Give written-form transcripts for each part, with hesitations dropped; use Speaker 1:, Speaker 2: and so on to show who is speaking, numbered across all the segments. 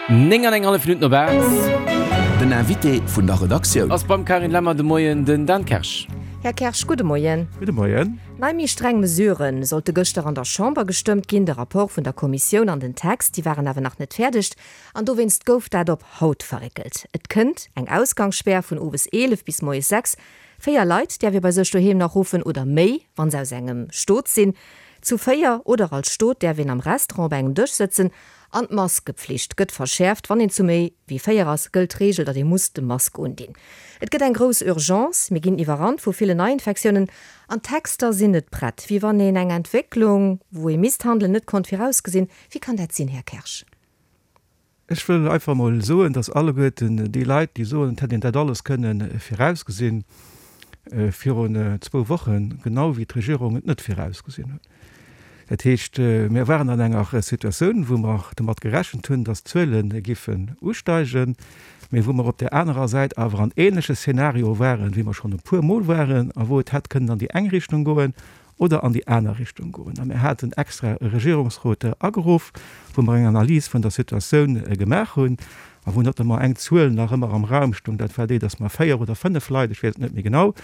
Speaker 1: 9 an eng hallef Minutt no 8.
Speaker 2: Den Invité vun der Redaktioun.
Speaker 1: Ass beim Carine Lemmer de Moien den Dan Kersch.
Speaker 3: Här Kersch, gudde Moien.
Speaker 4: Gudde Moien.
Speaker 3: Nei méi streng Mesurë sollte gëschter an der Chamber gestëmmt ginn. De Rapport vun der Kommissioun an den Text, déi waren awer nach net fäerdeg an dowéinst gouf dat op haut verréckelt. Et kënnt eng Ausgangsspär vun owes 11 bis moies 6. 4 Leit däerf ee bei sech doheem nach ruffen oder méi, wann se aus engem Stot sinn. Zu 4 oder als Stot däerf een am Restaurant op engem Dësch sëtzen an d'Maskepflicht gëtt verschäerft. Wann een zu méi wéi 4 ass, gëllt d'Reegel, datt ee muss de Mask undinn. Et gëtt eng grouss Urgence, mir ginn iwwerrannt vu villen Neiinfektiounen an d'Texter sinn net prett. Wéi wann een eng Entwécklung, wou ee misst handelen, net konnt virausgesinn. Wéi kann dat sinn, Här Kersch?
Speaker 4: Ech wëll einfach emol soen, dass alleguerten déi Leit, déi soen, et hätt een dat alles kënne virausgesinn, virun zwou Wochen, genau wéi d'Regierung et net virausgesinn hunn. Dat heescht, mir waren an enger Situatioun, wou mer domat gerechent hunn, dass d'Zuele giffen usteigen, mee wou mer op där anerer Säit awer an ähnleche Szenario waren, wéi mer schonn e puermol waren a wou et hätt kënnen an déi eng Richtung goen oder an déi aner Richtung goen. A mir haten extra e Regierungsrot ageruff, wou mer eng Analys vun der Situatioun gemaach hunn a wou notamment eng Zuel nach ëmmer am Raum stoung, dat war déi, dass mer 4 oder 5 Leit, ech weess et net méi genau,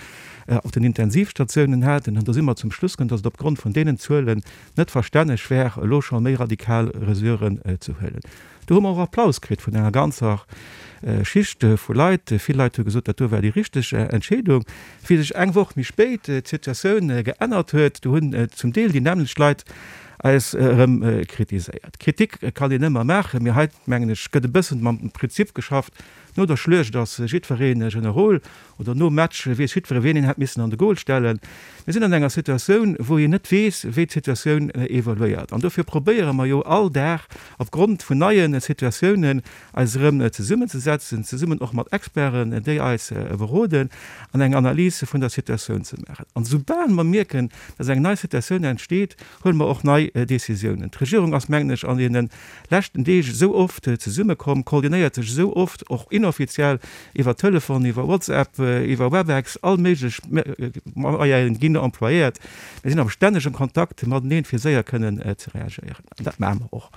Speaker 4: op den Intensivstatiounen haten. An do si mer zum Schluss komm, dass et opgrond vun deenen Zuelen net verstänneg wär, elo scho méi radikal Resuren ze huelen. Do hu mer och Applaus kritt vun enger ganzer Schicht vu Leit. Vill Leit hu gesot, dat do war déi richteg Entscheedung. Wéi sech eng Woch méi spéit d'Situatioun geännert huet, do hunn zum Deel déi nämmlecht Leit eis erëm kritiséiert. Kritik kann een ëmmer maachen, mee hei, mengen ech, gëtt e bëssen mam Prinzip geschafft, no der Schluecht ass jiddweree Generol. Oder nom Match weess jiddweree wien een hätt missen an de Goal stellen. Mir sinn an enger Situatioun, wou een net weess, wéi d'Situatioun evoluéiert. An dofir probéiere mer jo all Dag opgrond vun neie Situatiounen eis erëm zesummenzesetzen, zesummen och mat Experten, déi eis beroden, an eng Analys vun der Situatioun ze maachen. An esoubal mer mierken, dass eng nei Situatioun entsteet, huele mer och nei Décisiounen. D'Regierung ass, mengen ech, an deene leschten Deeg esou oft zesummekomm, koordinéiert sech esou oft, och inoffiziell, iwwer Telefon, iwwer WhatsApp, iwwer Webex, all méiglech Moyene ginn employéiert. Mir sinn am stännegem Kontakt mateneen, fir séier kënnen ze reagéieren. An dat maache mer och.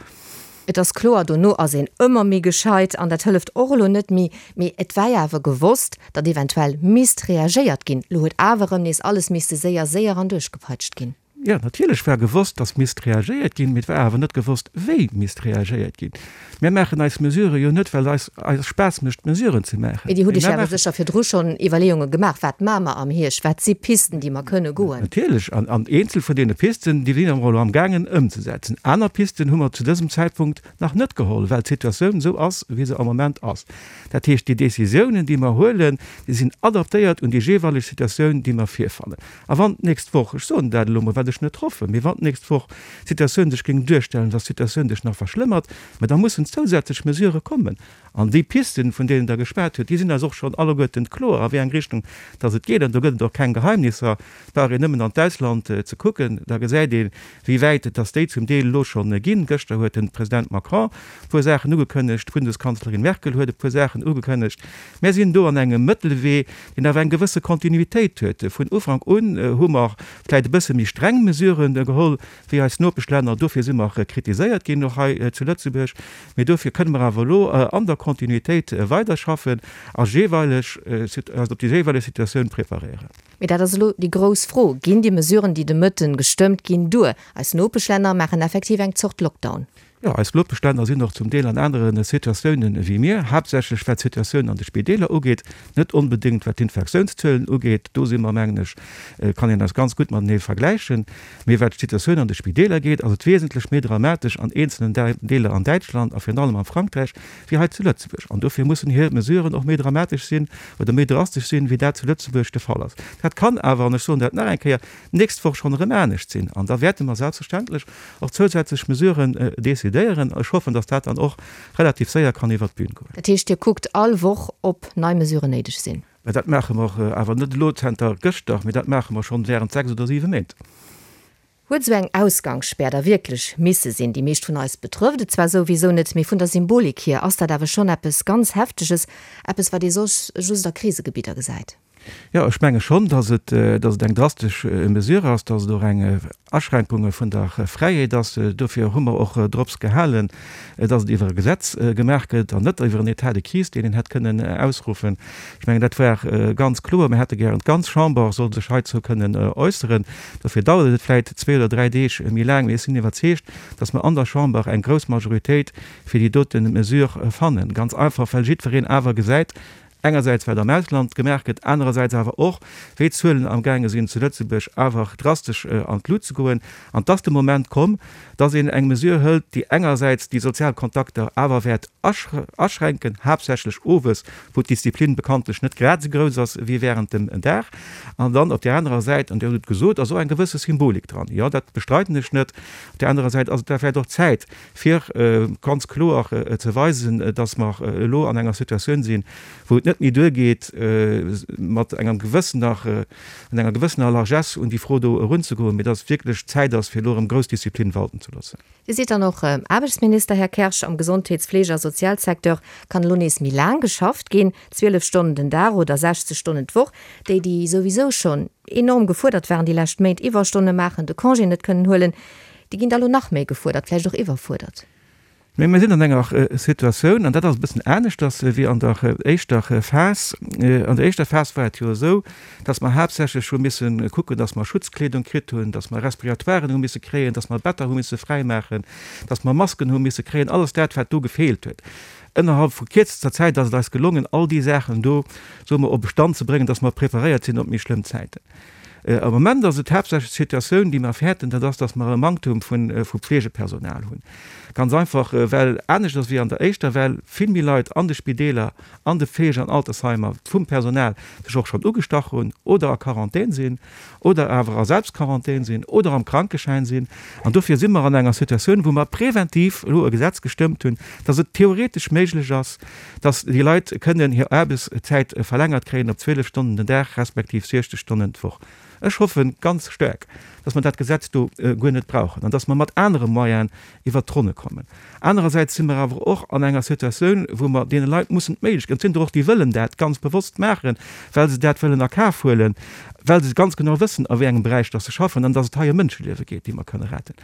Speaker 3: Et ass kloer, dono ass een ëmmer méi gescheit an dat hëlleft och elo net méi. Mee et war jo awer gewosst, datt eventuell misst reagéiert ginn. Elo huet awer erëm nees alles misste séier, séier an duerchgepeitscht ginn.
Speaker 4: Jo, natierlech war gewosst, dass misst reagéiert ginn, mee et war awer net gewosst, wéi misst reagéiert ginn. Mir maachen eis Mesurë jo net, well eis eis Spaass mécht, Mesuren ze maachen.
Speaker 3: Mee Dir hutt Iech awer sécher virdru schonn Iwwerleeunge gemaach, Wat maache mer am Hierscht? Wat si Pisten, déi mer kënne goen?
Speaker 4: Natierlech. An, an eenzel vun deene Pisten, déi si mer elo amgaangen ëmzesetzen. Aner Pisten hu mer zu dësem Zäitpunkt nach net geholl, well d'Situatioun esou ass, wéi se am Moment ass. Dat heescht, déi Décisiounen, déi mer huelen, déi sinn adaptéiert un déi jeeweileg Situatioun, déi mer virfannen. A wann d'nächst Woch, ech soen dat elo mol, wat ech net hoffen, mee wann d'nächst Woch d'Situatioun sech géing duerstellen, dass d'Situatioun sech nach verschlëmmert, mä da mussen zousätzlech Mesurë kommen. An déi Pisten, vun deenen Der geschwat hutt, déi sinn eis och schonn alleguerten kloer, a wéi eng Richtung dass et geet. An do gëtt et och keng Geheimnisser. Et brauch een nëmmen an d'Ausland ze kucken, da gesäit een, wéi wäit dass déi zum Deel elo schonn ginn. Gëschter huet de President Macron e puer Saachen ugekënnegt, d'Bundeskanzlerin Merkel huet e puer Saachen ugekënnegt. Mär sinn do an engem Mëttelwee, deen awer eng gewësse Kontinuitéit huet. Vun Ufank un hu mer vläicht e bësse méi streng Mesuren geholl wéi eis Nopeschlänner. Dofir si mer kritiséiert ginn, och hei zu Lëtzebuerg. Mee dofir kënne mer awer elo an der Kontinuitéit weiderschaffen a jeeweileg eis op déi jeeweileg Situatioun preparéieren.
Speaker 3: Mee dat ass elo déi grouss Fro, Ginn déi Mesuren, déi de Mëtten gestëmmt ginn, duer? Eis Nopeschlänner maachen effektiv eng Zort Lockdown.
Speaker 4: Jo, eis Nopeschlänner sinn och zum Deel an anere Situatiounen ewéi mir, haaptsächlech wat d'Situatioun an de Spideeler ugeet, net onbedéngt wat d'Infektiounszuelen ugeet. Do si mer, mengen ech, kann een eis ganz gutt matenee vergläichen. Mee wat d'Situatioun an de Spideeler geet, ass et wesentlech méi dramatesch an eenzelnen Deeler an Däitschland a virun allem am Frankräich wéi hei zu Lëtzebuerg. An dofir mussen hir Mesuren och méi dramatesch sinn oder méi drastesch sinn, wéi dat zu Lëtzebuerg de Fall ass. Dat kann awer, an ech soen dat nach eng Kéier, d'nächst Woch schonn erëm anescht sinn. An da wäerte mer selbstverständlech och zousätzlech Mesuren decidéieren. Ech hoffen, dass dat dann och relativ séier kann iwwert d'Bün goen.
Speaker 3: Dat heescht, Dir kuckt all Woch, ob nei Mesuren néideg sinn?
Speaker 4: Mä dat maache mer awer net elo zenter gëschter, mee dat maache mer schonn während 6 oder 7 Méint.
Speaker 3: Huet esou eng Ausgangsspär da wierklech misse sinn? Déi meescht vun eis betrëfft et zwar souwisou net, mee vun der Symbolik hier ass dat awer schonn eppes ganz Hefteges, eppes wat ee soss just a Krisegebidder gesäit.
Speaker 4: Jo, ech menge schonn, dass et, dass et eng drastesch Mesure ass, dass et och eng Aschränkunge vun der Fräiheet ass. Dofir hu mer och drops gehalen, dass et iwwer e Gesetz gemaach gëtt an net iwwer en État de crise, deen een hätt kënnen ausruffen. Ech mengen, dat war ganz kloer. Mir hätte gären, d'ganz Chamber soll sech heizou kënnen äusseren. Dofir dauert et vläicht zwee oder dräi Deeg méi laang, mee ech sinn iwwerzeegt, dass mer an der Chamber eng grouss Majoritéit fir déi dote Mesure fannen. Ganz einfach, well jiddwereen awer gesäit, engersäits wat am Ausland gemaach gëtt, anerersäits awer och, wéi d'Zuelen amgaange sinn zu Lëtzebuerg awer drastesch an d'Lut ze goen. An 't ass de Moment komm, dass een eng Mesure hëlt, déi engersäits déi sozial Kontakter awer wäert aschränken, haaptsächlech owes, wou d'Disziplin bekanntlech net grad esou grouss ass wéi während dem Dag. An dann op där anerer Säit, an Dir hutt et gesot, ass och eng gewësse Symbolik dran, jo, dat bestreiden ech net, op där anerer Säit ass et da vläicht och Zäit, fir ganz kloer ze weisen, dass mer elo an enger Situatioun sinn, wou et net méi duergeet, mat engem gewëssener, mat enger gewëssener Largesse un déi Fro do erunzegoen, mee dass et wierklech Zäit ass, fir elo erëm grouss Disziplin walten ze loossen.
Speaker 3: Dir sidd dann och Aarbechtsminister, Här Kersch. Am Gesondheets-, Fleege a Sozialsecteur kann elo nees méi laang geschafft ginn, 12 Stonnen den Dag oder 60 Stonnen d'Woch. Déi, déi souwisou schonn enorm gefuerdert waren déi lescht Méint, Iwwerstonne maachen, de Congé net kënnen huelen, Déi ginn da lo nach méi gefuerdert, vläicht och iwwerfuerdert.
Speaker 4: Mee mir sinn an enger Situatioun, an dat ass e bëssen aneschters wéi an der éischter Phas. An der éischter Phas war et jo esou, dass mer haaptsächlech hu misse kucken, dass mer Schutzkleedung kritt hunn, dass mer Respiratoiren hu misse kréien, dass mer Better hu misse fräimaachen, dass mer Masken hu misse kréien, alles dat, wat do gefeelt huet. Ënnerhalb vu kierzester Zäit ass et eis gelongen, all déi Saachen do, soe mer, op e Stand ze bréngen, dass mer preparéiert sinn op méi schlëmm Zäiten. Am Moment ass et haaptsächlech d'Situatioun, déi mer fäerten, dat ass, dass mer e Manktum vu Pflegepersonal hunn. Ganz einfach, well aneschters wéi an der éischter Well vill méi Leit an de Spideeler, an de Fleege an Altersheimer vum Personal sech och schonn ugestach hunn oder a Quarantän sinn oder awer a Selbstquarantän sinn oder am Krankeschäin sinn. An dofir si mer an enger Situatioun, wou mer preventiv elo e Gesetz gestëmmt hunn, dass et theoretesch méiglech ass, dass déi Leit kënnen hir Aarbechtszäit verlängert kréien op 12 Stonnen den Dag respektiv 60 Stonnen d'Woch. Ech hoffe ganz staark, dass mer dat Gesetz do guer net brauchen an dass mer mat anere Moyenen iwwert d'Ronne kommen. Anerersäits si mer awer och an enger Situatioun, wou mer deene Leit mussen d'Méiglechkeet, an et sinn der och, déi wëllen dat ganz bewosst maachen, well se dat wëllen a Kaf huelen, well se ganz genau wëssen, a wéi engem Beräich dass se schaffen an dass et hei ëm Mënscheliewe geet, déi mer kënne retten.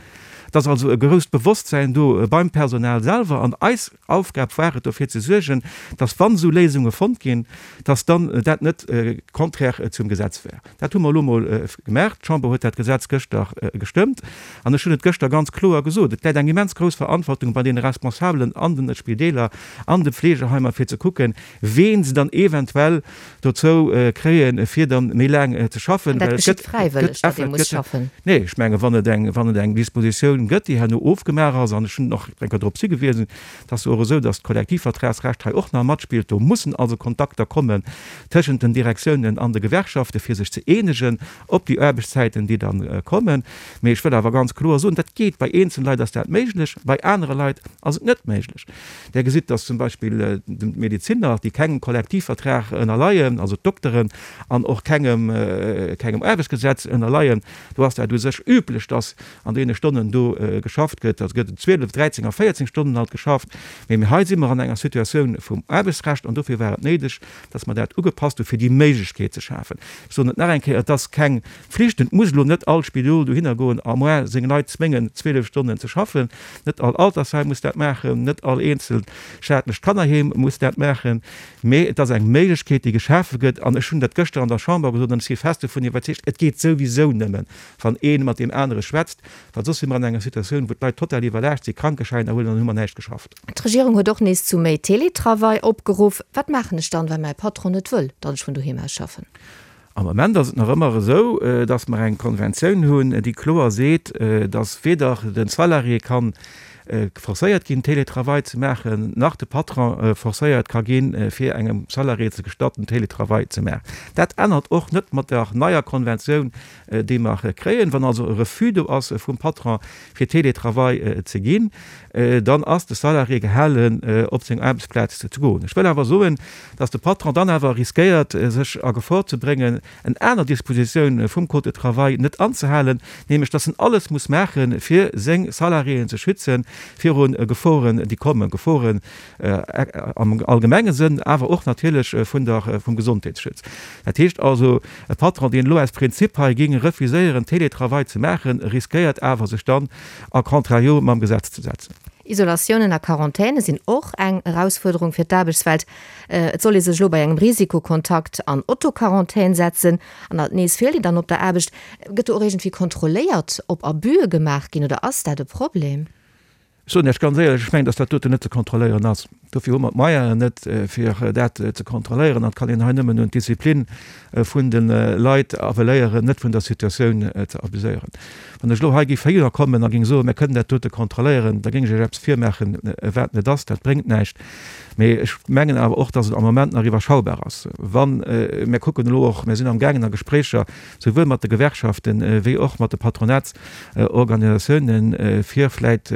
Speaker 4: Et ass also e grousst Bewosstsäin do beim Personal selwer an eis Aufgab war et dofir ze suergen, dass wann esou Léisunge fonnt ginn, dass dann dat net contraire zum Gesetz wär. Dat hu mer elo emol gemaach. D'Chamber huet dat Gesetz gëschter gestëmmt an ech hunn et gëschter ganz kloer gesot, Et läit eng immens grouss Verantwortung bei deene Responsabelen an den Spideeler, an de Fleegeheimer, fir ze kucken, ween se dann eventuell dozou kréien, fir dann méi laang ze schaffen.
Speaker 3: An dat geschitt fräiwëlleg, datt ee muss schaffen?
Speaker 4: Nee, ech menge wann et eng, wann et eng Dispositioun gëtt, déi herno ofgemaach ass, an ech hunn och eng Kéier drop higewisen, et ass jo och esou, datt d'Kollektivvertragsrecht hei och nach matspillt, do mussen also Kontakter kommen tëschent den Direktiounen an de Gewerkschaften, fir sech ze eenegen op déi Aarbechtszäiten, déi da kommen. Mee ech wëll awer ganz kloer soen, dat geet, bei eenzele Leit ass dat méiglech, bei anere Leit ass et net méiglech. Där gesitt, dass zum Beispill d'Medezinner, déi kengem Kollektivvertrag ënnerleien, also d'Dokteren, an och kengem, kengem Aarbechtsgesetz ënnerleien, do ass dat u sech üblech, dass an deene Stonnen do geschafft gëtt. Also gëtt et 12, 13 a 14 Stonnen alt geschafft. Mee mir hei si mer an enger Situatioun vum Aarbechtsrecht an dofir war et néideg, dass mer dat ugepasst hu fir déi Méiglechkeet ze schafen. Ech soen et nach eng Kéier, Et ass keng Pflicht, et muss elo net all Spidol dohinner goen a moi seng Leit zwéngen, 12 Stonnen ze schaffen. Net all Altersheim muss dat maachen, net all eenzelt staatlecht Kannerheem muss dat maachen, mee et ass eng Méiglechkeet, déi geschafe gëtt. An ech hunn dat gëschter an der Chamber gesot an ech si fest dovun iwwerzeegt, et geet souwisou nëmmen, wann ee mat deem anere schwätzt, well soss si mer an enger Situatioun, wou d'Leit total iwwerlaascht sinn, Krankeschäiner huelen an dann hu mer näischt geschafft.
Speaker 3: D'Regierung huet och nees zu méi Teletravail opgeruff. Wat maachen ech dann, wa mäi Patron net wëll, datt ech vun doheem aus schaffen?
Speaker 4: Am Ament ass et nach ëmmer esou, dass mer eng Konventioun hunn, déi kloer seet, dass weder de Salarié ka forcéiert ginn, Télétravail ze maachen, nach de Patron forcéiert ka ginn, fir engem Salarié ze gestatten, Télétravail ze maachen. Dat ännert och net mat der neier Konventioun, déi mer kréien. Wann also e Refus do ass vum Patron, fir Télétravail ze ginn, dann ass de Salarié gehalen, op seng Aarbechtsplaz ze goen. Ech wëll awer soen, dass de Patron dann awer riskéiert, sech a Gefor ze bréngen. eng aner Dispositioun vum Code de travail net anzehalen, nämlech dass en alles muss maachen, fir seng Salariéen ze schützen viru Geforen, déi kommen, Geforen am allgemenge Sënn, awer och natierlech vun der, vum Gesondheetsschutz. Dat heescht also, e Patron, deen elo aus Prinzip hei géing refuséieren, Télétravail ze maachen, riskéiert awer, sech dann a contrario mam Gesetz ze setzen.
Speaker 3: Isolatiounen a Quarantäne sinn och eng Erausfuerderung fir d'Aarbechtswelt. Et soll ee sech elo bei engem Risikokontakt an Autoquarantän setzen an alt nees feelt een dann op der Aarbecht. Gëtt do och iergendwéi kontrolléiert, ob Abüe gemaach ginn oder ass dat e Problem?
Speaker 4: Ech soen Iech ganz éierlech, ech mengen, datt dat doten net ze kontrolléieren ass. Dofir hu mer d'Moyenen net, fir dat ze kontrolléieren. An et kann een hei nëmmen un d'Disziplin vun de Leit appelléieren, net vun der Situatioun ze abuséieren. Wann ech elo hei géif heihinner kommen a géing soen, mir kënnen dat dote kontrolléieren, da géing ech Iech eppes virmaachen, wat net ass. Dat bréngt näischt. Mee ech mengen awer och, dass et am Moment nach iwwerschaubar ass. Wa mir kucken elo och, mir sinn amgaangen a Gespréicher, souwuel mat de Gewerkschaften wéi och mat de Patronatsorganisatiounen, fir vläit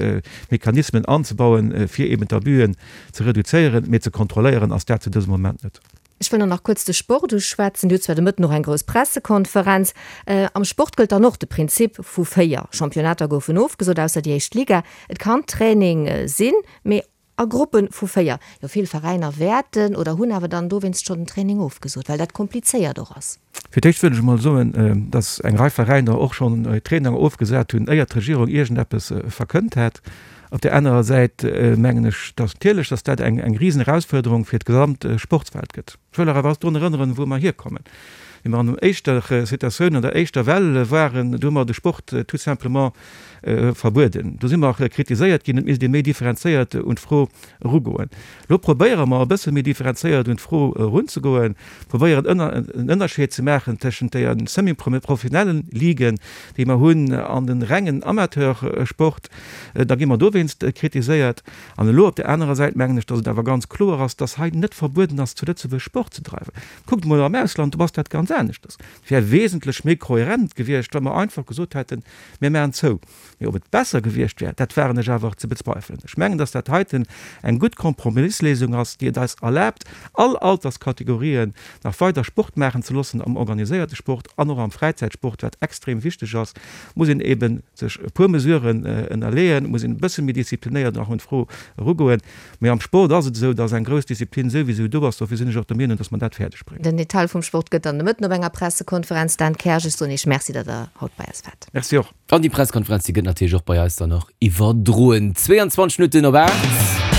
Speaker 4: Mechanismen anzebauen, fir eben d'Abüen ze reduzéieren. Mee ze kontrolléieren ass dat zu dësem Moment net.
Speaker 3: Ech wëll nach kuerz de Sport uschwätzen. Dir hutt zwar de Mëtten och eng grouss Pressekonferenz. Am Sport gëllt dann och de Prinzip vu 4. Championnater goufen ofgesot, ausser déi éischt Liga. Et kann Training sinn, mee a Gruppe vu 4. Jo, vill Veräiner wäerten oder hunn awer dann dowéinst schonn den Training ofgesot, well dat komplizéiert och ass.
Speaker 4: Fir d'éischt wëll ech emol soen, dass eng Rei Veräiner och schonn Traininger ofgesat hunn, éier d'Regierung iergendeppes verkënnt hat. Op där anerer Säit mengen ech, dass natierlech, dass dat eng eng Risenerausfuerderung fir d'gesamt Sportswelt gëtt. Ech wëll awer drun erënneren, wou mer hierkommen. Wéi mer an der éischter Situatioun, an der éischter Well waren, do hu mer de Sport tout simplement verbueden. Do si mer kritiséiert ginn, et misst ee méi differenzéiert un d'Fro erugoen. Elo probéiere mer e bësse méi differenzéiert un d'Fro erunzegoen, probéieren en Ënnerscheed ze maachen tëschent deer semi-professionellen Liguen, déi mer hunn, an de rengen Amateursport. Da gi mer dowéinst kritiséiert. An elo op där anerer Säit mengen ech, datt et awer ganz kloer ass, datt hei net verbueden ass, zu Lëtzebuerg Sport ze dreiwen. Kuckt emol am Ausland, do ass dat ganz aneschters. Et wär wesentlech méi kohärent gewiescht, wa mer einfach gesot hätten, Mir maachen zou. Mee ob et besser gewiescht wär, dat wagen ech awer ze bezweifelen. Ech mengen, dass dat heiten eng gutt Kompromisslésung ass, déi et eis erlaabt, all Alterskategorien nach weider Sport maachen ze loossen, am organiséierte Sport an och am Fräizäitsport, wat extrem wichteg ass, muss een eebe sech e puer Mesuren ënnerleeën, muss een e bësse méi disziplinéiert nach un d'Fro erugoen. Mee am Sport ass et esou, dass eng grouss Disziplin souwisou do ass. Dofir sinn ech och der Meenung, dass mer dat fäerdeg bréngen.
Speaker 3: Den Detail vum Sport gëtt dann de Mëtten op enger Pressekonferenz. Dan Kersch, ech soen Iech Merci, datt Der haut bei eis waart.
Speaker 4: Merci och.
Speaker 1: An déi Presskonferenz, déi gëtt natierlech och bei eis dann och iwwerdroen. 22 Minutten op 8.